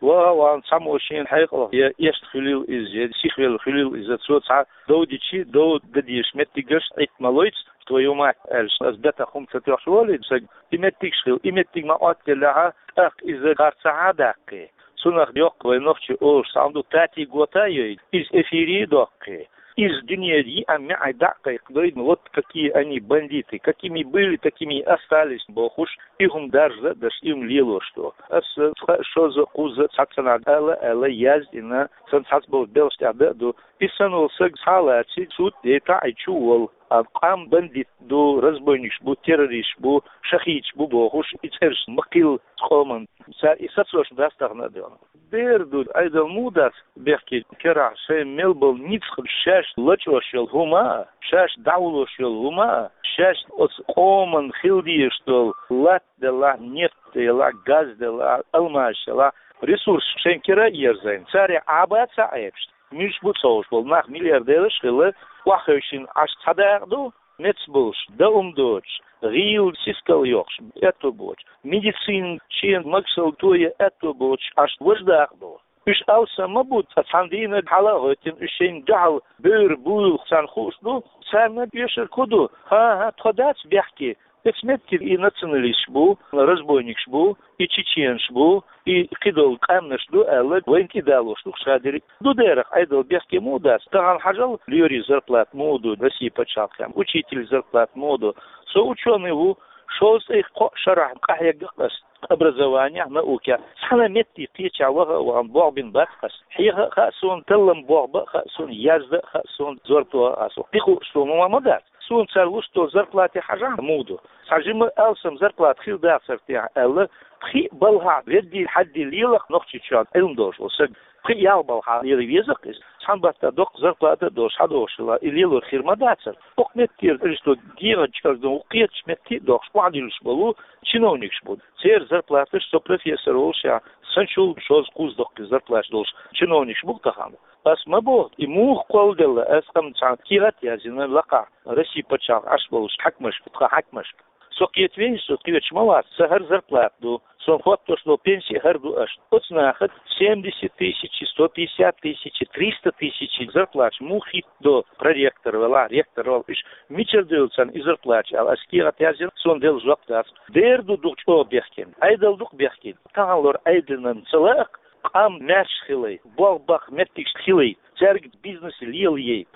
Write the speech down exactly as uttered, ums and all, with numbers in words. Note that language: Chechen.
Ва, ван цхьаммо шен хьекъалах я эшта хуьлийла иза, я сихвелла хуьлийла иза, цо цхьа дов дичи, дов дадеш меттигаш Ӏитта ма лойц, твою мать, аьлча, ас бетах хӀума ца тоьхча волий саг, и меттигаш хила, и меттиг ма Ӏоттаделлехьа, тӀаккха иза харцахьа даккхий. Цунах йоккха вай нохчий олуш цхьа хӀума ду, тати гота йой, иза эфире доккхий. Иза дуьне йиъа-миъа дӀа а кхайкхадой, вот какие они бандиты, какими были, такими и остались, бохуш, и хӀума даржа а даш, и хӀума лелош ду. Аса цкъа а, шозза а, кхузза а цхьацца нах ала а аьлла, яздина, сан цхьацца болу белхаш тӀехь дан а ду. И санна волу саг схьа а лаций, суд а яйтахь а, и чу а волу. А къам бандит ду, разбойникаш бу, террористаш бу, шахидаш бу бохуш, и цӀераш ма кхилла къоман. Цара и сацош дац тахана а дуьйна. Дера ду, Ӏедал муха дац бехке керахь, шайн мел болу ницкъ шаьш лачкъош йолу хӀума а, шаьш дӀавуллуш йолу хӀума а, шаьш оцу къоман хила дезаш долу латта делахь, нефть делахь, газ делахь, алмазаш делахь, ресурс шайн кира а ерзийна, царех Ӏаба ца Ӏебаш. Муьлш бу ца хууш болу нах, миллиардераш а хилла, охьахевшина Ӏаш цхьа дакъа ду, меца болуш, дан хӀума доцуш, гӀийла сискал йоккхуш, аьтто боцуш, медицина шен магашалла тоя аьтто боцуш, Ӏаш важа дакъа ду. Уьш алсам ма бу, цкъа цхьана дийнахь хьала а гӀоьттина, уьш шайна дуьхьал бевр буйла царна хууш ду, царна оьшург хӀун ду? ХӀан-хӀа, тхо дац бехке, эцу метте и националисташ бу, разбойникаш бу, и чеченаш бу, и кхидолу къаьмнаш ду аьлла, вайна кӀидалош ду шадерг. Ду дерах Ӏедал бехке муха дац? Тахана хьажал, лоьрийн зарплата муха ду Россия пачхьалкхехь, учитель зарплата муха ду? Со учёный ву, шовзткъе кхоъ шарахь къахьегна ас образованехь, наукехь. Цхьана метте кхечахь ваха а вахана болх бина бац ас. Хьеха а хаьа суна, таллам болх бан а хаьа суна, яздан а хаьа суна, зорбан тоха а хаьа суна. Кхин хууш суна ма ма дац. Суна цара луш долу зарплате хьажахь муха ду. Цхьа жима алсам зарплата хила дацара техьа аьлла, пхиъ балхахь веддий хьаддий лелахь Нохчийчохь Ӏилма долуш волу саг. Пхиъ-ялх балхахь лела веза-кх иза. Цхьана баттахь доккха зарплата а долуш, хьадогӀуш хила, и лелор хир ма дацара. Оцу метте аьлча, дегӀан чӀагӀдан ву кхеташ метте а дохуш, охьадиллуш болу чиновникаш бу. Церан зарплаташ, со профессор волушехь, санчул шозза-кхузза доккхий зарплаташ долуш чиновникаш бу-кх тахана. Ас ма боху, и муха кхолладелла, ас амма цхьана кехат а язйина лакхахь Россия пачхьалкхехь Ӏаш болуш хьаькамашка, тхан хьаькамашка. Со кхетаве, со кхеташ ма вац, сан хӀара зарплата ду, суна хӀоттош долу пенси хӀара ду аша. Оцу наха семьдесят тысяч, сто пятьдесят тысяч, триста тысяч зарплаташ муха хӀиттадо, проректор велахь, ректор велахь, уьш мичара девлла царна и зарплаташ аьлла, ас кехат язйина, суна делла жоп дац. Дера ду дукха чӀогӀа бехкина, Ӏедал дукха бехкина. Тахана лор Ӏедална ца лаьа-кх, къам маьрша хилай, болх баккха меттигаш хилай, цаьрга бизнес лелаяй.